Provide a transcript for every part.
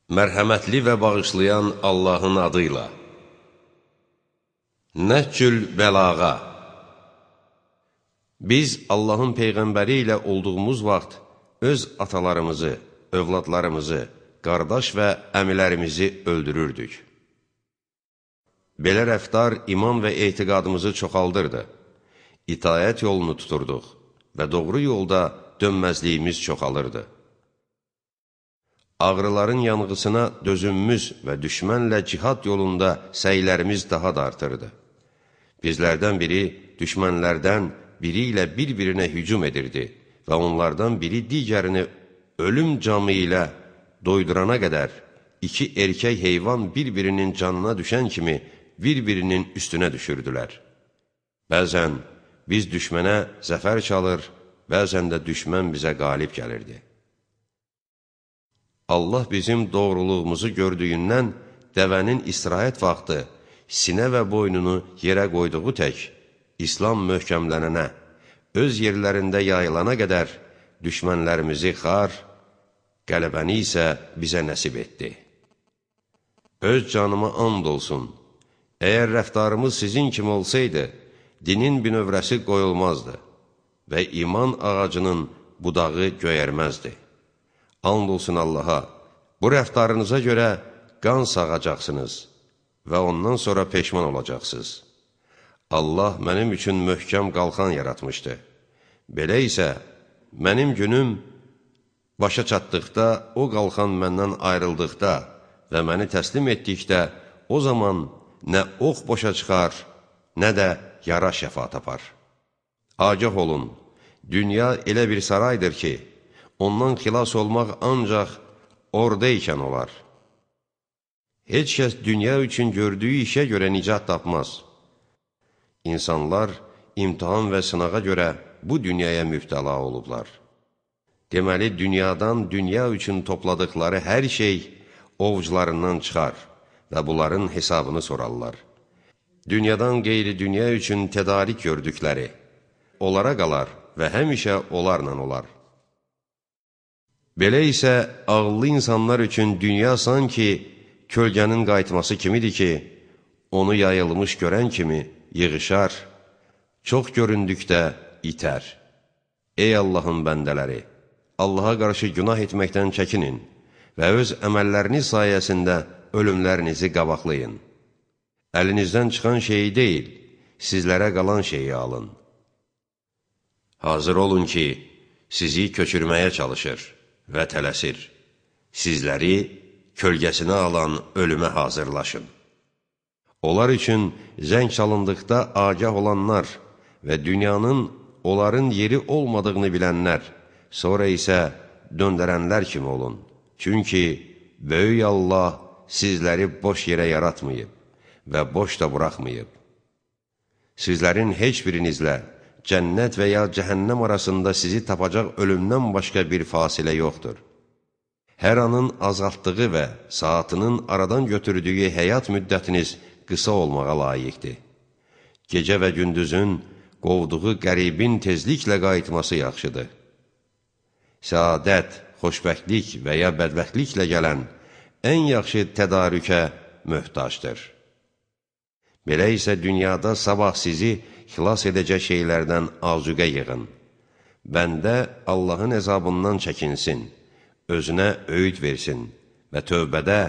Mərhəmətli və bağışlayan Allahın adıyla. Nəhcül bəlağa. Biz Allahın Peyğəmbəri ilə olduğumuz vaxt öz atalarımızı, övladlarımızı, qardaş və əmilərimizi öldürürdük. Belə rəftar iman və etiqadımızı çoxaldırdı. İtaət yolunu tuturduq və doğru yolda dönməzliyimiz çoxalırdı. Ağrıların yanğısına dözümümüz və düşmənlə cihad yolunda səylərimiz daha da artırdı. Bizlərdən biri düşmənlərdən biri ilə bir-birinə hücum edirdi və onlardan biri digərini ölüm camı ilə doydurana qədər iki erkək heyvan bir-birinin canına düşən kimi bir-birinin üstünə düşürdülər. Bəzən biz düşmənə zəfər çalır, bəzən də düşmən bizə qalib gəlirdi. Allah bizim doğruluğumuzu gördüyündən dəvənin istirahət vaxtı sinə və boynunu yerə qoyduğu tək İslam möhkəmlənənə, öz yerlərində yayılana qədər düşmənlərimizi xar, qələbəni isə bizə nəsib etdi. Öz canıma and olsun, əgər rəftarımız sizin kimi olsaydı, dinin binövrəsi qoyulmazdı və iman ağacının budağı göyərməzdi. And olsun Allaha, bu rəftarınıza görə qan sağacaqsınız və ondan sonra peşman olacaqsınız. Allah mənim üçün möhkəm qalxan yaratmışdı. Belə isə, mənim günüm başa çatdıqda, o qalxan məndən ayrıldıqda və məni təslim etdikdə, o zaman nə ox boşa çıxar, nə də yara şəfa tapar. Agah olun, dünya elə bir saraydır ki, ondan xilas olmaq ancaq orada ikən olar. Heç kəs dünya üçün gördüyü işə görə nicat tapmaz. İnsanlar imtihan və sınağa görə bu dünyaya mübtəla olublar. Deməli, dünyadan dünya üçün topladıqları hər şey ovucularından çıxar və bunların hesabını sorarlar. Dünyadan qeyri-dünya üçün tədarik gördükləri onlara qalar və həmişə onlarla olar. Belə isə ağıllı insanlar üçün dünya sanki kölgənin qayıtması kimidir ki, onu yayılmış görən kimi yığışar, çox göründükdə itər. Ey Allahın bəndələri! Allaha qarşı günah etməkdən çəkinin və öz əməlləriniz sayəsində ölümlərinizi qabaqlayın. Əlinizdən çıxan şeyi deyil, sizlərə qalan şeyi alın. Hazır olun ki, sizi köçürməyə çalışır və tələsir. Sizləri kölgəsinə alan ölümə hazırlaşın. Onlar üçün zəng çalındıqda agah olanlar və dünyanın onların yeri olmadığını bilənlər, sonra isə döndərənlər kimi olun. Çünki böyük Allah sizləri boş yerə yaratmayıb və boş da buraxmayıb. Sizlərin heç birinizlə cənnət və ya cəhənnəm arasında sizi tapacaq ölümdən başqa bir fasilə yoxdur. Hər anın azaltdığı və saatının aradan götürdüyü həyat müddətiniz qısa olmağa layiqdir. Gecə və gündüzün qovduğu qəribin tezliklə qayıtması yaxşıdır. Səadət, xoşbəxtlik və ya bədbəxtliklə gələn ən yaxşı tədarükə möhtacdır. Belə isə dünyada sabah sizi xilas edəcək şeylərdən azuqə yığın. Bəndə Allahın əzabından çəkinsin, özünə öyüd versin və tövbədə,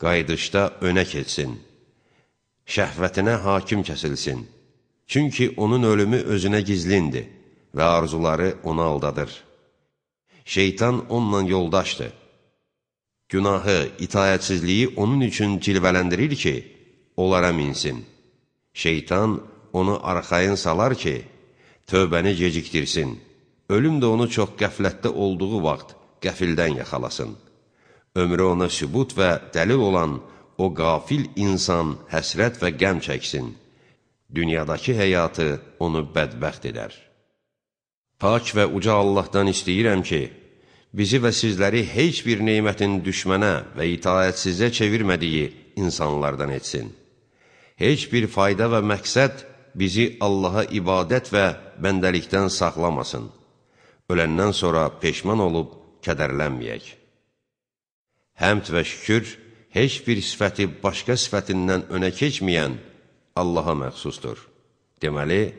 qayıdışda önə keçsin. Şəhvətinə hakim kəsilsin. Çünki onun ölümü özünə gizlindir və arzuları onu aldadır. Şeytan onunla yoldaşdır. Günahı, itayətsizliyi onun üçün cilvələndirir ki, onlara minsin. Şeytan onu arxayın salar ki, tövbəni gecikdirsin. Ölüm də onu çox qəflətdə olduğu vaxt qəfildən yaxalasın. Ömrü ona sübut və dəlil olan o qafil insan həsrət və qəm çəksin. Dünyadakı həyatı onu bədbəxt edər. Pak və uca Allahdan istəyirəm ki, bizi və sizləri heç bir neymətin düşmənə və itayətsizə çevirmədiyi insanlardan etsin. Heç bir fayda və məqsəd bizi Allaha ibadət və bəndəlikdən saxlamasın. Öləndən sonra peşman olub kədərlənməyək. Həmd və şükür heç bir sifəti başqa sifətindən önə keçməyən Allaha məxsusdur. Deməli,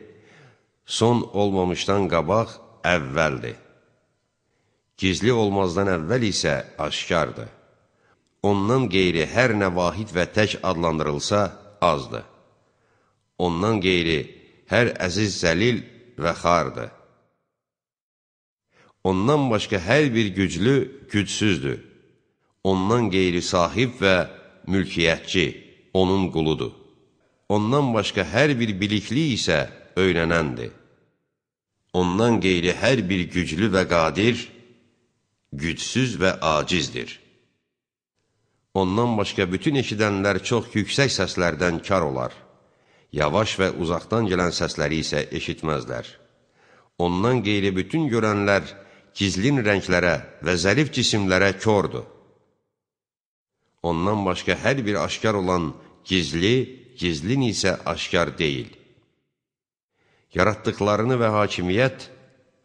son olmamışdan qabaq əvvəldir. Gizli olmazdan əvvəl isə aşkardır. Ondan qeyri hər nə vahid və tək adlandırılsa azdır. Ondan qeyri hər əziz zəlil və xardır. Ondan başqa hər bir güclü gücsüzdür. Ondan qeyri sahib və mülkiyyətçi, onun quludur. Ondan başqa hər bir bilikli isə öyrənəndir. Ondan qeyri hər bir güclü və qadir, gücsüz və acizdir. Ondan başqa bütün eşidənlər çox yüksək səslərdən kar olar. Yavaş və uzaqdan gələn səsləri isə eşitməzlər. Ondan qeyri bütün görənlər gizlin rənglərə və zərif cisimlərə kördur. Ondan başqa hər bir aşkar olan gizli, gizlin isə aşkar deyil. Yaratdıqlarını və hakimiyyət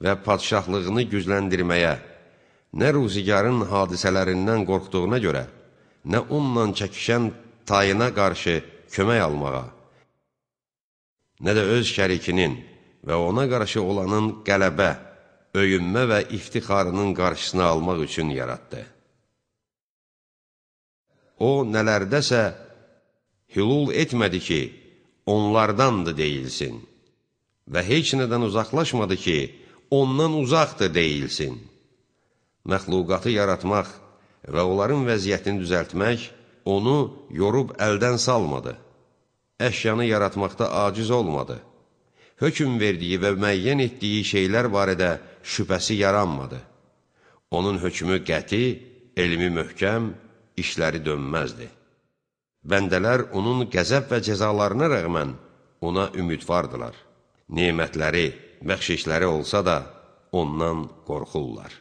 və padşahlığını gücləndirməyə, nə ruzigarın hadisələrindən qorxduğuna görə, nə onunla çəkişən tayına qarşı kömək almağa, nə də öz şərikinin və ona qarşı olanın qələbə, öyünmə və iftixarının qarşısını almaq üçün yaratdı. O, nələrdəsə hülul etmədi ki, onlardandır deyilsin və heç nədən uzaqlaşmadı ki, ondan uzaqdır deyilsin. Məxluqatı yaratmaq və onların vəziyyətini düzəltmək onu yorub əldən salmadı. Əşyanı yaratmaqda aciz olmadı. Hökm verdiyi və müəyyən etdiyi şeylər barədə şübhəsi yaranmadı. Onun hökmü qəti, elmi möhkəm, işləri dönməzdi. Bəndələr onun qəzəb və cəzalarına rəğmən ona ümidvardılar. Nemətləri, bəxşişləri olsa da ondan qorxurlar.